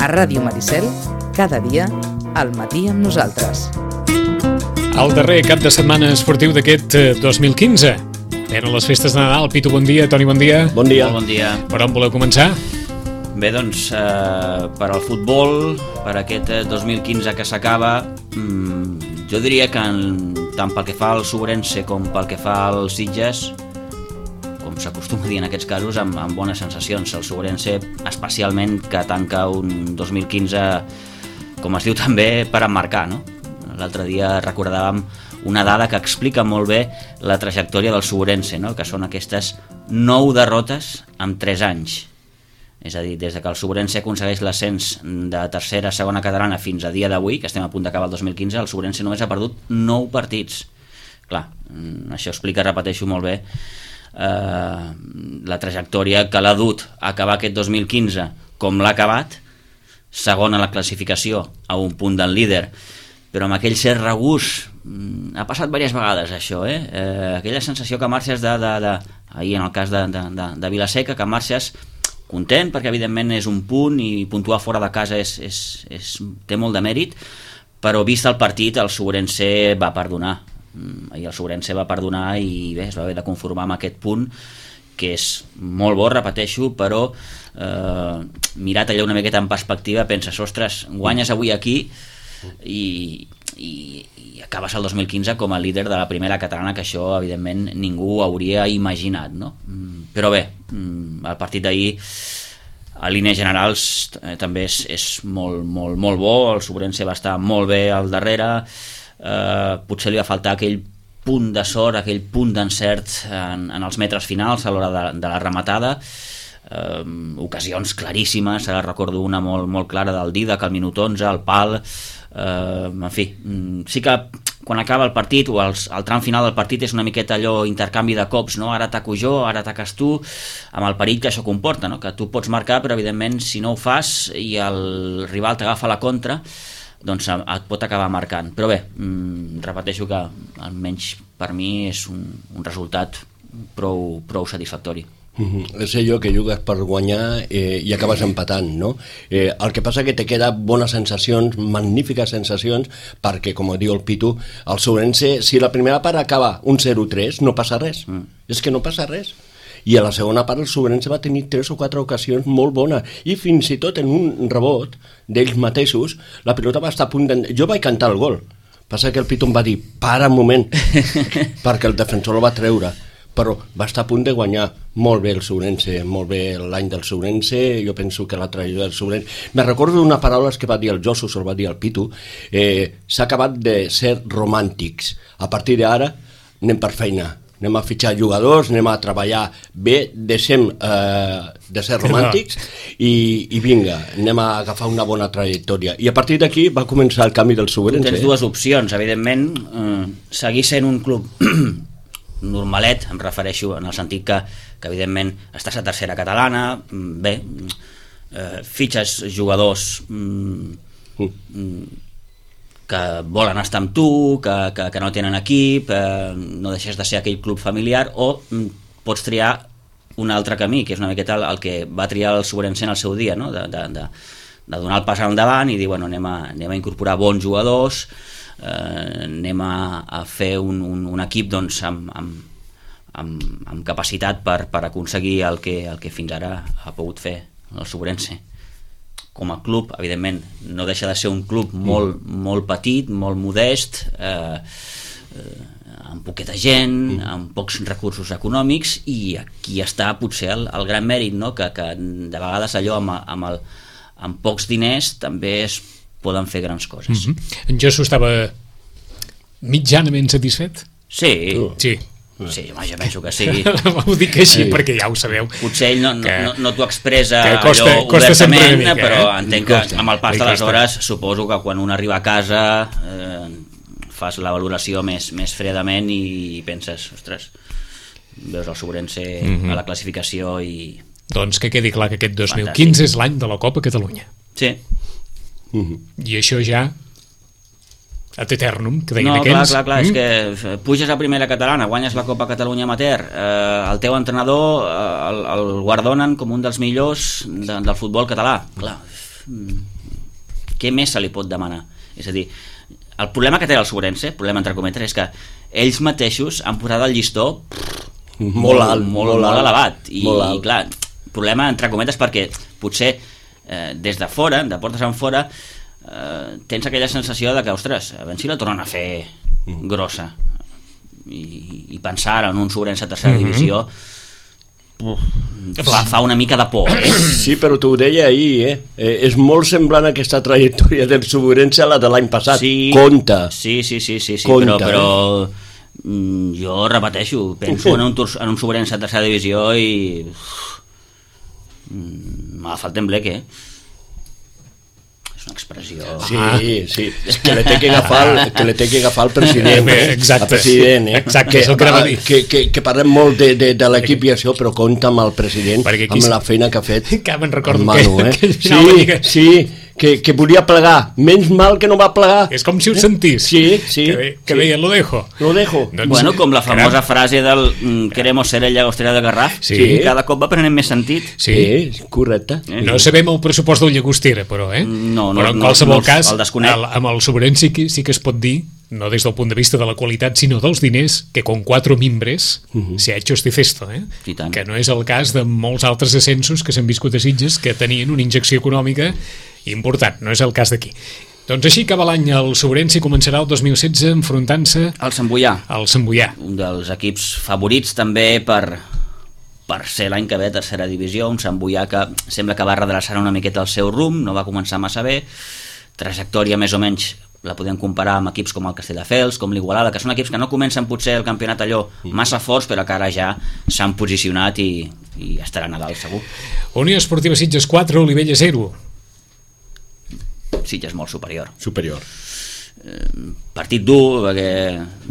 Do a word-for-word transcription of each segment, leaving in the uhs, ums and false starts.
A Ràdio Maricel, cada dia, al matí amb nosaltres. El darrer cap de setmana esportiu d'aquest dos mil quinze. Eren les festes de Nadal. Pitu, bon dia. Toni, bon dia. Bon dia. Molt bon dia. Per on voleu començar? Bé, doncs, eh, per al futbol, per aquest dos mil quinze que s'acaba, mmm, jo diria que en, tant pel que fa al Sobrense com pel que fa als Sitges, com s'acostuma a dir en aquests casos, amb, amb bones sensacions. El Sobrense, especialment, que tanca un dos mil quinze, com es diu també, per emmarcar, no? L'altre dia recordàvem una dada que explica molt bé la trajectòria del Sobrense, no? Que són aquestes nou derrotes en tres anys. És a dir, des de que el Sobrense aconsegueix l'ascens de tercera a segona catalana fins a dia d'avui, que estem a punt d'acabar el dos mil quinze, el Sobrense només ha perdut nou partits. Clar, això explica, repeteixo molt bé, eh, la trajectòria que l'ha dut a acabar aquest dos mil quinze com l'ha acabat, segon a la classificació, a un punt del líder, però amb aquell cert regús. Ha passat diverses vegades això, eh? eh aquella sensació que marxes de, de, de ahir en el cas de, de, de, de Vilaseca, que marxes content perquè evidentment és un punt i puntuar fora de casa és, és, és, té molt de mèrit, però vist el partit el Sobrense va perdonar. Ahir el Sobrense va perdonar i bé, es va haver de conformar amb aquest punt, que és molt bo, repeteixo, però eh, mirat allà una miqueta en perspectiva penses, ostres, guanyes avui aquí i, i, i acabes el dos mil quinze com a líder de la primera catalana, que això evidentment ningú hauria imaginat, no? Però bé, el partit d'ahir a línies generals eh, també és, és molt, molt, molt bo. El Sobrense va estar molt bé al darrere, eh, potser li va faltar aquell punt de sort, aquell punt d'encert en, en els metres finals a l'hora de, de la rematada. Eh, ocasions claríssimes, ara recordo una molt, molt clara del Didac al minut onze, al pal. Uh, en fi, sí que quan acaba el partit o els, el tram final del partit és una miqueta allò intercanvi de cops, no? Ara ataco jo, ara ataques tu, amb el perill que això comporta, no? Que tu pots marcar però evidentment si no ho fas i el rival t'agafa la contra, doncs et pot acabar marcant. Però bé, mm, repeteixo que almenys per mi és un, un resultat prou, prou satisfactori. Mm-hmm. És allò que jugues per guanyar eh, i acabes empatant, no? Eh, el que passa que te queda bones sensacions, magnífiques sensacions, perquè, com diu el Pitu, el Sobrense, si la primera part acaba un zero tres, no passa res. Mm. És que no passa res. I a la segona part el Sobrense va tenir tres o quatre ocasions molt bones, i fins i tot en un rebot d'ells mateixos, la pilota va estar a punt de... Jo vaig cantar el gol. Passa que el Pitu em va dir, para un moment, perquè el defensor el va treure. Però va estar a punt de guanyar molt bé el Sobrense, molt bé l'any del Sobrense. Jo penso que la trajectòria del Sobrense... Me recordo d'una paraula que va dir el Josu, se'l va dir el Pitu, eh, s'ha acabat de ser romàntics. A partir d'ara anem per feina, anem a fitxar jugadors, anem a treballar bé, deixem eh, de ser romàntics i, i vinga, anem a agafar una bona trajectòria. I a partir d'aquí va començar el canvi del Sobrense. Tens dues opcions, evidentment, eh, seguir sent un club normalet, em refereixo en el sentit que, que evidentment estàs a tercera catalana, bé, eh, fitxes jugadors mm, que volen estar amb tu, que, que, que no tenen equip, eh, no deixes de ser aquell club familiar, o mm, pots triar un altre camí, que és una miqueta el, el que va triar el Sobrense en el seu dia, no? de, de, de, de donar el pas endavant i dir, bueno, anem a, anem a incorporar bons jugadors, Eh, anem a, a fer un, un, un equip doncs, amb, amb, amb, amb capacitat per, per aconseguir el que, el que fins ara ha pogut fer el Sobrense. Com a club, evidentment, no deixa de ser un club molt, molt petit, molt modest, eh, eh, amb poqueta gent, amb pocs recursos econòmics, i aquí està potser el, el gran mèrit, no? que, que de vegades allò amb, amb, el, amb pocs diners també es poden fer grans coses. Mm-hmm. En Josu estava mitjanament satisfet? Sí. Sí. Sí, home, jo penso que sí. Ho dic així sí. Perquè ja ho sabeu. Potser ell no, no, no, no t'ho expressa costa, allò costa obertament, mica, però eh? entenc que amb el pas de les hores suposo que quan un arriba a casa eh, fas la valoració més, més fredament i penses, ostres, veus el Sobrense mm-hmm. a la classificació i... Doncs que quedi clar que aquest dos mil quinze és l'any de la Copa Catalunya. Sí. Mm-hmm. I això ja ad eternum, que deien no, aquells. clar, clar, clar, mm? és que puges a primera catalana, guanyes la Copa Catalunya Amateur, eh, el teu entrenador eh, el, el guardonen com un dels millors de, del futbol català. Clar, què més se li pot demanar? És a dir, el problema que té el Sobrense, problema entre cometes, és que ells mateixos han posat el llistó pff, molt, molt alt, molt, molt, molt elevat. I, molt alt. I clar, problema entre cometes perquè potser eh, des de fora, de portes en fora, eh, tens aquella sensació de que, ostres, a veure si la tornen a fer grossa. I, i pensar en un Sobrense a tercera mm-hmm. divisió fa, fa una mica de por. Sí, però t'ho deia ahir, eh? eh? És molt semblant aquesta trajectòria del Sobrense a la de l'any passat. Sí, compte. Sí, sí, sí, sí, sí compte, però, però eh? jo repeteixo, penso en un, en un Sobrense a tercera divisió i m'ha agafat tembleque, eh? Una expressió... Sí, sí, és que le té que agafar el, que le té que agafar el president, eh? Exacte. El president, eh? Exacte, que, que, que, que parlem molt de, de, de l'equip i això, però compta amb el president, amb la feina que ha fet. Que me'n recordo Manu, que, eh? que sí, que... sí, que, que volia plegar, menys mal que no va plegar. És com si ho sentís. Sí, sí. Que, que sí. deia, lo dejo. Lo dejo. Doncs, bueno, com la famosa caram. frase del mm, queremos ser el llagostera de Garraf, Sí. que cada cop va prenent més sentit. Sí. Sí, correcte. Eh? No sabem el pressupost del Llagostera, però, eh? No, no, però en no, qualsevol no, cas, el desconec. el, amb el Sobrense sí, que- sí que es pot dir, no des del punt de vista de la qualitat, sinó dels diners, que con cuatro mimbres uh-huh. se ha hecho este cesto, eh? I tant. Que no és el cas de molts altres ascensos que s'han viscut a Sitges, que tenien una injecció econòmica important, no és el cas d'aquí. Doncs així acaba l'any el Sobrense i començarà el dos mil setze enfrontant-se El Sant Boià, al Sant Boià. un dels equips favorits també per, per ser l'any que ve a tercera divisió, un Sant Boià que sembla que va redreçar una miqueta el seu rumb, no va començar massa bé, trajectòria més o menys la podem comparar amb equips com el Castelldefels, com l'Igualada, que són equips que no comencen potser el campionat allò massa forts, però que ara ja s'han posicionat i, i estaran a dalt segur. Unió Esportiva Sitges quatre, Olivella zero. Sitges molt superior. Superior. Partit dur, perquè...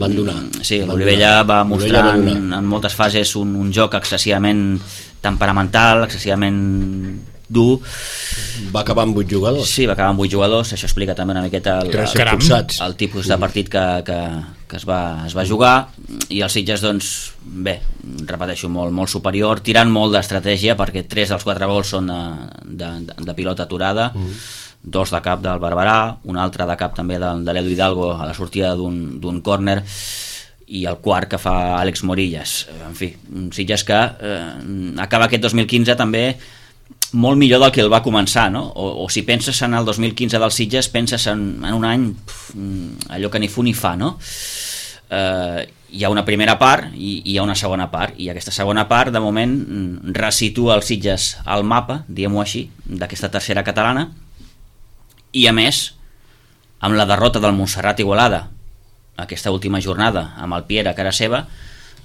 Van donar. Sí, Van l'Olivella donar. va mostrar Olivella va en, donar. en moltes fases un, un joc excessivament temperamental, excessivament dur. Va acabar amb vuit jugadors. Sí, va acabar amb vuit jugadors, això explica també una miqueta el, Tres el, expulsats. el tipus de partit que, que, que es, va, es va jugar, i els Sitges, doncs, bé, repeteixo, molt, molt superior, tirant molt d'estratègia, perquè tres dels quatre gols són de, de, de, de pilota aturada, mm. dos de cap del Barberà, un altre de cap també de, de l'Edu Hidalgo a la sortida d'un córner, i el quart que fa Àlex Morillas. En fi, un Sitges que eh, acaba aquest dos mil quinze també molt millor del que el va començar, no? O, o si penses en el dos mil quinze del Sitges, penses en, en un any pf, allò que ni fu ni fa, no? Eh, hi ha una primera part i, i hi ha una segona part, i aquesta segona part de moment resitua el Sitges al mapa, diguem-ho així, d'aquesta tercera catalana, i a més amb la derrota del Montserrat Igualada aquesta última jornada amb el Piera a cara seva,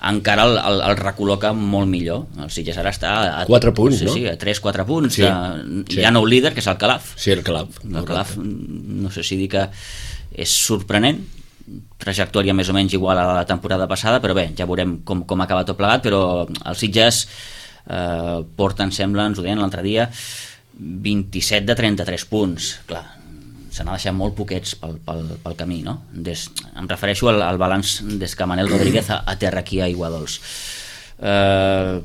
encara el, el, el recol·loca molt millor. El Sitges ara està a quatre punts, sí, no? sí, a tres quatre punts. Sí, de, sí. Hi ha nou líder, que és el Calaf. Sí, el Calaf. El Calaf, no sé si dir que és sorprenent, trajectòria més o menys igual a la temporada passada, però bé, ja veurem com, com acaba tot plegat, però els Sitges eh, porten, sembla, ens ho deien l'altre dia, vint-i-set de trenta-tres punts. Clar, se n'ha deixat molt poquets pel, pel, pel camí, no? Des, em refereixo al, al balanç des que Manel Rodríguez a, a terra aquí a Aiguadols. Eh,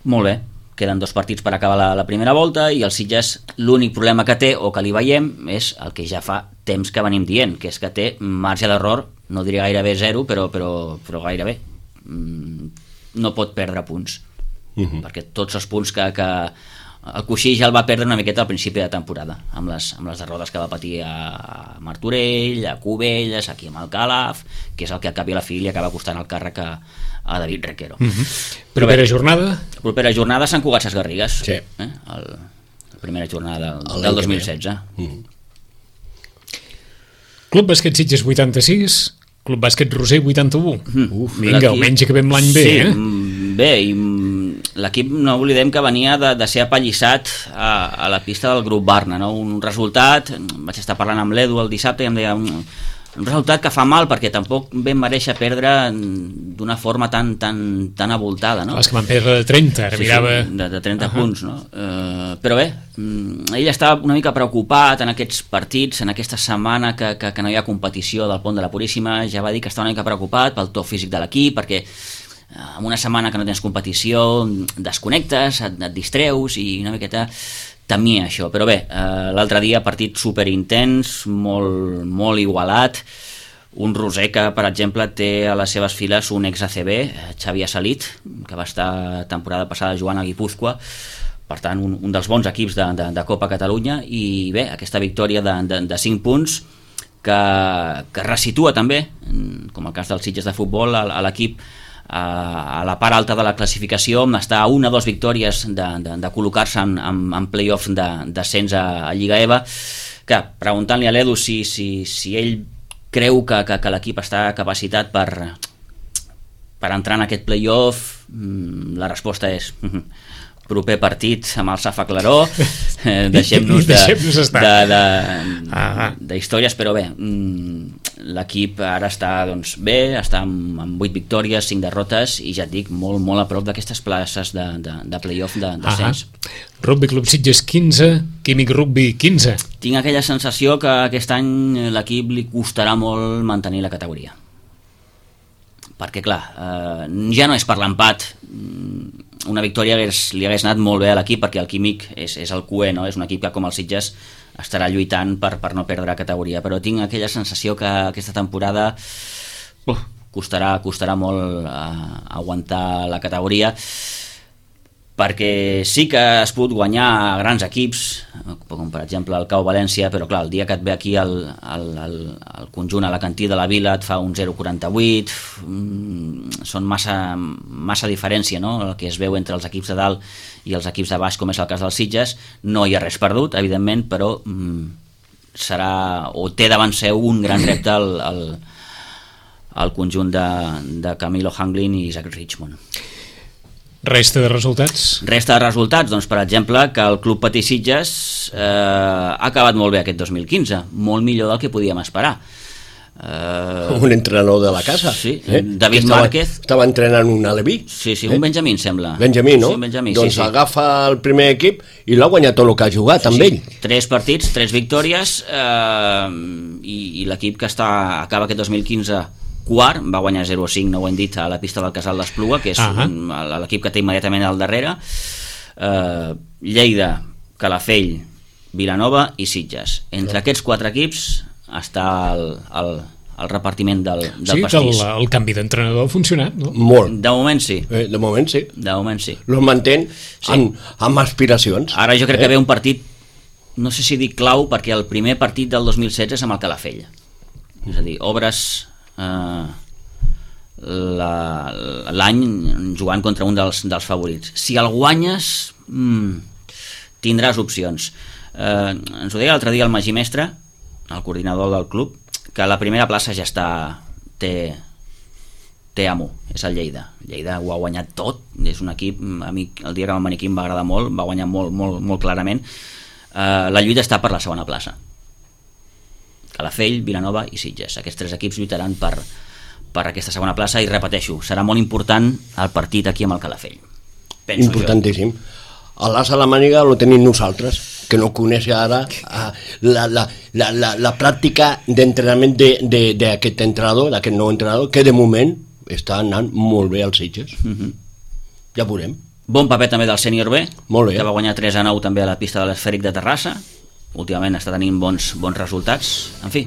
molt bé, queden dos partits per acabar la, la primera volta, i el Sitges l'únic problema que té, o que li veiem, és el que ja fa temps que venim dient, que és que té marge d'error, no diria gairebé zero, però, però, però gairebé. No pot perdre punts, uh-huh. perquè tots els punts que... que el coixí ja el va perdre una miqueta al principi de temporada, amb les, amb les derrotes que va patir a Martorell, a Cubelles, aquí amb el Calaf, que és el que al cap i a la fi li acaba costant el càrrec a, a David Requero. Mm-hmm. Propera jornada? La propera jornada Sant Cugat Ses Garrigues, sí. eh? el, la primera jornada del, el del dos mil setze. Mm. Club Bàsquet Sitges vuitanta-sis, Club Bàsquet Roser vuitanta-u. Mm. Uf, vinga, almenys acabem l'any bé, sí, eh? Bé, i l'equip no oblidem que venia de, de ser apallissat a, a la pista del grup Barna, no? Un resultat, vaig estar parlant amb l'Edu el dissabte i em deia un, un resultat que fa mal perquè tampoc ben mereixer perdre d'una forma tan, tan, tan avoltada, no? Els que van perdre de trenta, ara sí, mirava... sí, de, de trenta uh-huh. punts, no? Eh, però bé, ell estava una mica preocupat en aquests partits, en aquesta setmana que, que, que no hi ha competició del Pont de la Puríssima, ja va dir que estava una mica preocupat pel to físic de l'equip, perquè en una setmana que no tens competició desconnectes, et, et distreus i una miqueta temia això, però bé, eh, l'altre dia partit superintens, molt, molt igualat, un roser que, per exemple, té a les seves files un ex-A C B, Xavi Salit, que va estar temporada passada jugant a Guipúzcoa, per tant, un, un dels bons equips de, de, de Copa Catalunya, i bé, aquesta victòria de, de, de cinc punts que, que resitua també, com el cas dels Sitges de futbol, a, a l'equip a la part alta de la classificació, està a una o dues victòries de, de, de col·locar-se en, en, en play-off d'ascens a, a Lliga E V A, que preguntant-li a l'Edu si, si, si ell creu que, que, que l'equip està capacitat per, per entrar en aquest play-off, la resposta és proper partit amb el Safa Claró, eh, deixem-nos de, de, de, de històries, però bé, l'equip ara està doncs, bé, està amb, amb vuit victòries, cinc derrotes, i ja et dic, molt, molt a prop d'aquestes places de, de, de play-off de descens. Rugby Club Sitges quinze, Químic Rugby quinze. Tinc aquella sensació que aquest any l'equip li costarà molt mantenir la categoria. Perquè, clar, eh, ja no és per l'empat. Una victòria hagués, li hagués anat molt bé a l'equip, perquè el Químic és, és el cué, no? És un equip que, com el Sitges, estarà lluitant per, per no perdre categoria, però tinc aquella sensació que aquesta temporada uh, costarà, costarà molt uh, aguantar la categoria, perquè sí que has pogut guanyar a grans equips, com per exemple el Cau València, però clar, el dia que et ve aquí el, el, el, el conjunt alacantí de la Vila et fa un zero coma quaranta-vuit, mm, són massa, massa diferència, no?, el que es veu entre els equips de dalt i els equips de baix, com és el cas dels Sitges. No hi ha res perdut, evidentment, però mm, serà, o té davant seu un gran repte al, al, al conjunt de, de Camilo Hanglin i Isaac Richmond. Resta de resultats? Resta de resultats, doncs, per exemple, que el Club Patí Sitges eh, ha acabat molt bé aquest dos mil quinze, molt millor del que podíem esperar. Eh, un entrenador de la casa. Sí, eh? David estava, Márquez. Estava entrenant un aleví. Sí, sí, un eh? Benjamín, sembla. Benjamí, no? Sí, Benjamí, doncs sí, sí. Agafa el primer equip i l'ha guanyat tot el que ha jugat, sí, amb sí. ell. Tres partits, tres victòries, eh, i, i l'equip que està, acaba aquest dos mil quinze quart, va guanyar zero a cinc, no ho hem dit, a la pista del Casal d'Espluga, que és uh-huh. un, l'equip que té immediatament al darrere. eh, Lleida, Calafell, Vilanova i Sitges. Entre uh-huh. aquests quatre equips està el, el, el repartiment del, del sí, pastís. Sí, el, el canvi d'entrenador ha funcionat, no? Molt. De moment sí. Eh, de moment sí. De moment sí. Los mantén sí. amb, amb aspiracions. Ara jo crec eh? que ve un partit, no sé si dic clau, perquè el primer partit del dos mil setze és amb el Calafell. És a dir, obres Uh, l'any jugant contra un dels, dels favorits. Si el guanyes, mm, tindràs opcions. Uh, ens ho deia l'altre dia el Magí Mestre, el coordinador del club, que la primera plaça ja està, té, té amo, és el Lleida. Lleida ho ha guanyat tot, és un equip, a mi el dia que vam venir aquí em va agradar molt, va guanyar molt, molt, molt clarament. Uh, la lluita està per la segona plaça. Calafell, Vilanova i Sitges. Aquests tres equips lluitaran per, per aquesta segona plaça, i repeteixo, serà molt important el partit aquí amb el Calafell. Penso importantíssim. A l'as a la màniga lo tenim nosaltres, que no coneix ara la, la, la, la, la pràctica d'entrenament d'aquest entrenador, d'aquest nou entrenador, que de moment està anant molt bé als Sitges. Uh-huh. Ja veurem. Bon paper també del sènior B, molt bé. Que va guanyar tres a nou també a la pista de l'Esfèric de Terrassa. Últimament està tenint bons, bons resultats. En fi,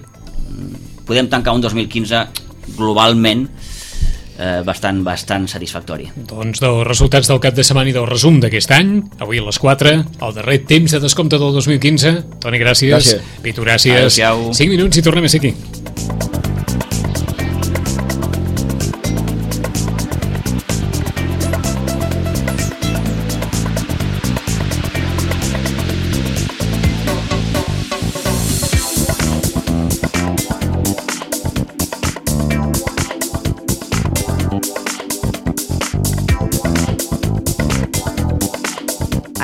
podem tancar un dos mil quinze globalment eh, bastant, bastant satisfactori. Doncs dels resultats del cap de setmana i del resum d'aquest any, avui a les quatre, el darrer temps de descompte del dos mil quinze. Toni, gràcies. Gràcies. Pitu, gràcies. Adéu-siau. cinc minuts i tornem a ser aquí.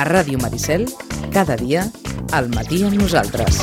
A Ràdio Maricel, cada dia, al matí amb nosaltres.